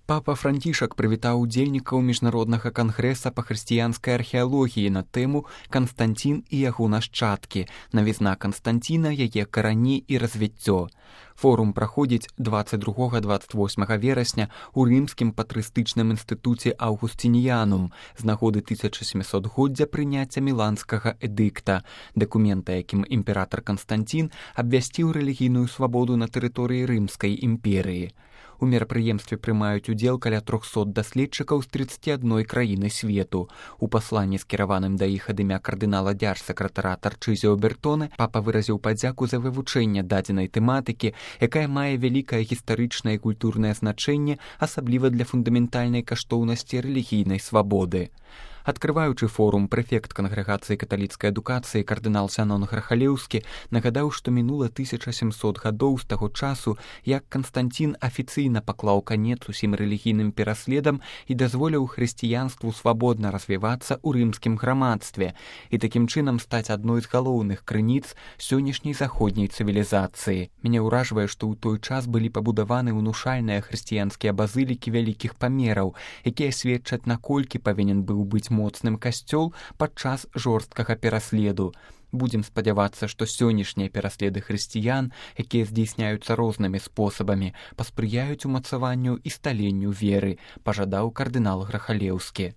Папа Францішак прывітаў удзельнікаў міжнароднага кангрэса па хрысціянскай археалогіі на тэму «Канстантін і яго нашчадкі. Навізна Канстантіна, яе карані і развіццё». Форум праходзіць 22-28 верасня ў рымскім патрыстычным інстытуце Аўгусцініянум з нагоды 1700-годдзя прыняцця міланскага эдыкта, дакумента, якім імператар Канстантін абвясціў рэлігійную свабоду на тэрыторыі Рымскай імперыі. У мерапрыемстве прымаюць удзел каля 300 даследчыкаў з 31 краіны свету. У пасланні, скіраваным да іх ад імя кардынала дзяржсакратара Тарчызіо Бертоне, папа выразіў падзяку за вывучэнне дадзенай тэматыкі, якая мае вялікае гістарычнае і культурнае значэнне, асабліва для фундаментальнай каштоўнасці рэлігійнай свабоды. Адкрываючы форум, прэфект кангрэгацыі каталіцкай адукацыі кардынал Зянон Грахалеўскі нагадаў, што мінула 1700 гадоў з таго часу, як Канстантін афіцыйна паклаў канец усім рэлігійным пераследам і дазволіў хрысціянству свабодна развівацца ў рымскім грамадстве і такім чынам стаць адной з галоўных крыніц сённяшняй заходняй цывілізацыі. Мяне ўражвае, што ў той час былі пабудаваны ўнушальныя хрысціянскія базылікі вялікіх памераў, якія сведчаць, наколькі павінен быў быць моцным касцёл падчас жорсткага пераследу. Будзем спадзявацца, што сённяшнія пераследы хрысціян, якія здзейсняюцца рознымі спосабамі, паспрыяюць умацаванню і сталенню веры, пажадаў кардынал Грахалеўскі.